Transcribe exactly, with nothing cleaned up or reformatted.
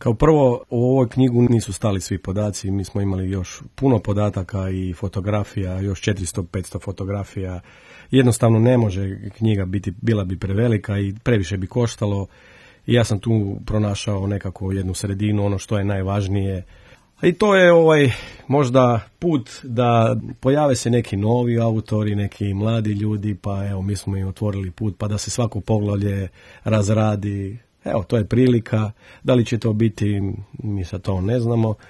Kao prvo, u ovoj knjigu nisu stali svi podaci, mi smo imali još puno podataka i fotografija, još četiristo do petsto fotografija. Jednostavno ne može knjiga biti, bila bi prevelika i previše bi koštalo. I ja sam tu pronašao nekako jednu sredinu, ono što je najvažnije. I to je ovaj možda put da pojave se neki novi autori, neki mladi ljudi, pa evo mi smo im otvorili put, pa da se svako poglavlje razradi. Evo, to je prilika. Da li će to biti, mi sad to ne znamo.